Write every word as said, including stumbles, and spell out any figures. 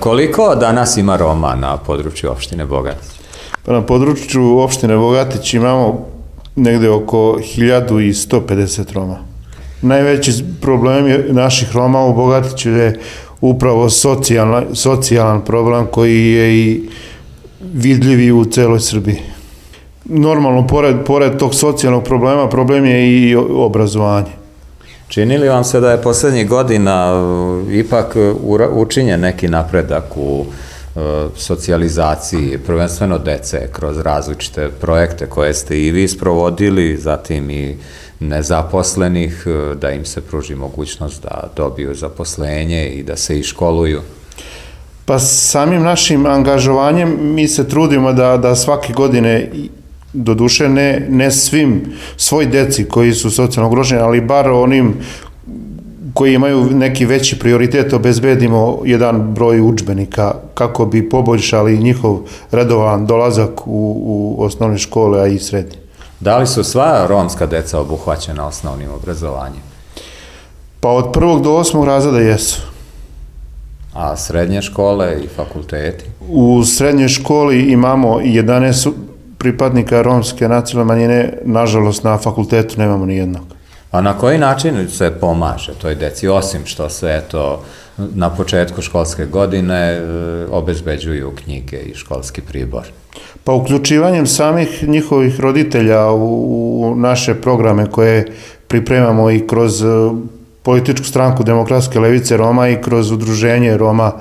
Koliko danas ima Roma na području opštine Bogatić? Pa na području opštine Bogatić imamo negde oko hiljadu sto pedeset Roma. Najveći problem naših Roma u Bogatiću je upravo socijalan, socijalan problem koji je i vidljivi u celoj Srbiji. Normalno, pored, pored tog socijalnog problema, problem je i obrazovanje. Čini li vam se da je poslednjih godina ipak učinjen neki napredak u socijalizaciji, prvenstveno dece, kroz različite projekte koje ste i vi sprovodili, zatim i nezaposlenih, da im se pruži mogućnost da dobiju zaposlenje i da se i školuju? Pa samim našim angažovanjem mi se trudimo da, da svake godine, doduše ne, ne svim svoj deci koji su socijalno ugroženi, ali bar onim koji imaju neki veći prioritet, obezbedimo jedan broj udžbenika kako bi poboljšali njihov redovan dolazak u, u osnovne škole, a i srednje. Da li su sva romska deca obuhvaćena osnovnim obrazovanjem? Pa od prvog do osmog razreda jesu. A srednje škole i fakulteti? U srednjoj školi imamo jedanaest pripadnika romske nacionalne manjine, nažalost na fakultetu nemamo ni jednog. A na koji način se pomaže toj deci, osim što se eto na početku školske godine obezbeđuju knjige i školski pribor? Pa uključivanjem samih njihovih roditelja u naše programe koje pripremamo i kroz političku stranku Demokratske levice Roma i kroz udruženje Roma